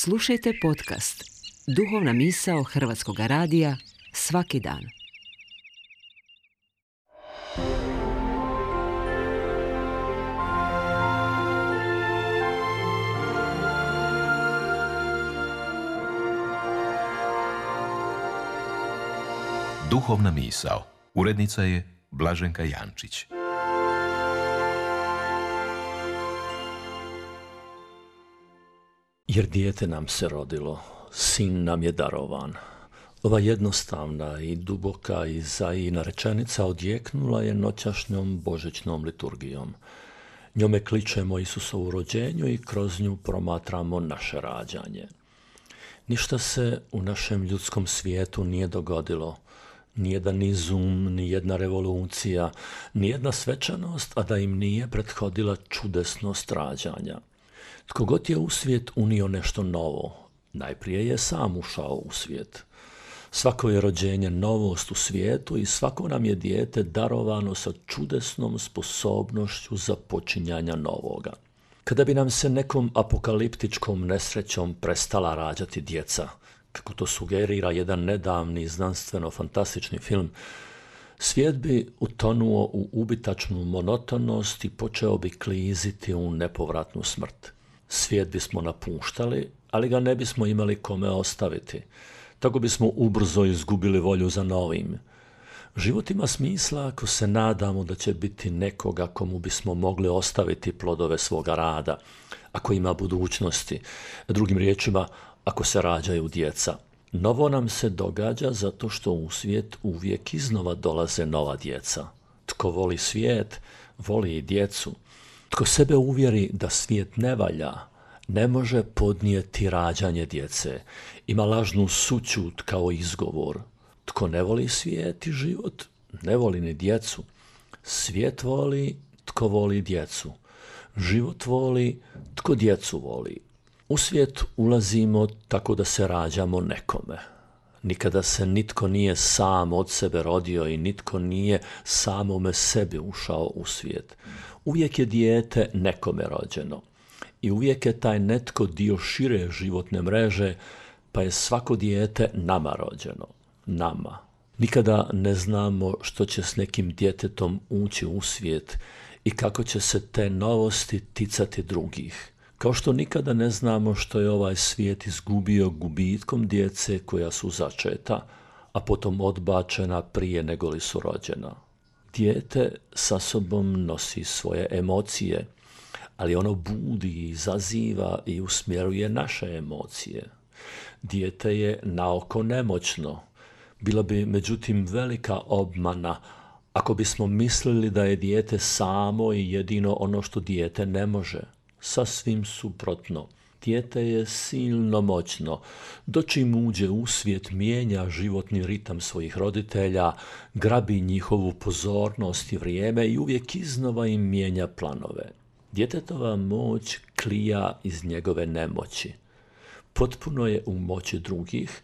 Slušajte podcast Duhovna misao Hrvatskog radija svaki dan. Duhovna misao. Urednica je Blaženka Jančić. Jer dijete nam se rodilo, sin nam je darovan. Ova jednostavna i duboka Izaijina rečenica odjeknula je noćašnjom božićnom liturgijom. Njome kličemo Isusovu rođenju i kroz nju promatramo naše rađanje. Ništa se u našem ljudskom svijetu nije dogodilo. Nijedan izum, nijedna revolucija, nijedna svečanost, a da im nije prethodila čudesnost rađanja. Tko god je u svijet unio nešto novo, najprije je sam ušao u svijet. Svako je rođenje novost u svijetu i svako nam je dijete darovano sa čudesnom sposobnošću započinjanja novoga. Kada bi nam se nekom apokaliptičkom nesrećom prestala rađati djeca, kako to sugerira jedan nedavni znanstveno-fantastični film, svijet bi utonuo u ubitačnu monotonost i počeo bi kliziti u nepovratnu smrt. Svijet bismo napuštali, ali ga ne bismo imali kome ostaviti. Tako bismo ubrzo izgubili volju za novim. Život ima smisla ako se nadamo da će biti nekoga komu bismo mogli ostaviti plodove svoga rada, ako ima budućnosti. Drugim riječima, ako se rađaju djeca. Novo nam se događa zato što u svijet uvijek iznova dolaze nova djeca. Tko voli svijet, voli i djecu. Tko sebe uvjeri da svijet ne valja, ne može podnijeti rađanje djece. Ima lažnu sućut kao izgovor. Tko ne voli svijet i život, ne voli ni djecu. Svijet voli tko voli djecu. Život voli tko djecu voli. U svijet ulazimo tako da se rađamo nekome. Nikada se nitko nije sam od sebe rodio i nitko nije samome sebi ušao u svijet. Uvijek je dijete nekome rođeno. I uvijek je taj netko dio šire životne mreže, pa je svako dijete nama rođeno. Nama. Nikada ne znamo što će s nekim djetetom ući u svijet i kako će se te novosti ticati drugih. Kao što nikada ne znamo što je ovaj svijet izgubio gubitkom djece koja su začeta, a potom odbačena prije nego li su rođena. Dijete sa sobom nosi svoje emocije, ali ono budi, izaziva i usmjeruje naše emocije. Dijete je naoko nemoćno. Bila bi međutim velika obmana ako bismo mislili da je dijete samo i jedino ono što dijete ne može. Sasvim suprotno. Dijete je silno moćno. Dočim uđe u svijet, mijenja životni ritam svojih roditelja, grabi njihovu pozornost i vrijeme i uvijek iznova im mijenja planove. Djetetova moć klija iz njegove nemoći. Potpuno je u moći drugih,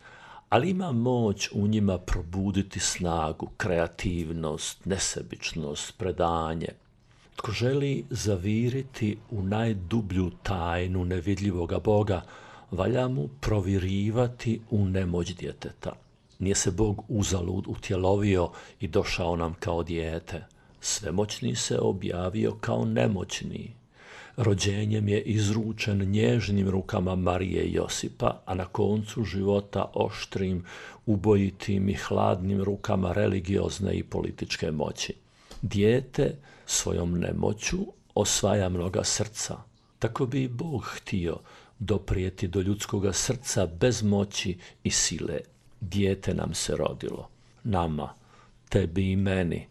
ali ima moć u njima probuditi snagu, kreativnost, nesebičnost, predanje. Tko želi zaviriti u najdublju tajnu nevidljivoga Boga, valja mu provirivati u nemoć djeteta. Nije se Bog uzalud utjelovio i došao nam kao dijete. Svemoćni se objavio kao nemoćni. Rođenjem je izručen nježnim rukama Marije i Josipa, a na koncu života oštrim, ubojitim i hladnim rukama religiozne i političke moći. Dijete svojom nemoću osvaja mnoga srca. Tako bi i Bog htio doprijeti do ljudskoga srca bez moći i sile. Dijete nam se rodilo. Nama, tebi i meni.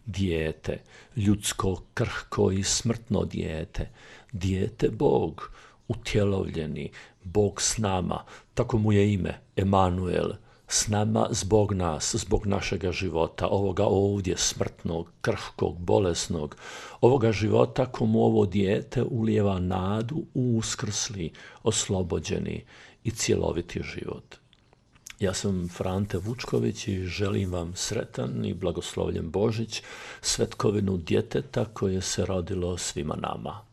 Dijete, ljudsko, krhko i smrtno dijete. Dijete Bog, utjelovljeni, Bog s nama. Tako mu je ime, Emanuel. S nama zbog nas, zbog našega života, ovoga ovdje smrtnog, krhkog, bolesnog, ovoga života komu ovo dijete ulijeva nadu u uskrsli, oslobođeni i cjeloviti život. Ja sam Frante Vučković i želim vam sretan i blagoslovljen Božić, svetkovinu djeteta koje se rodilo svima nama.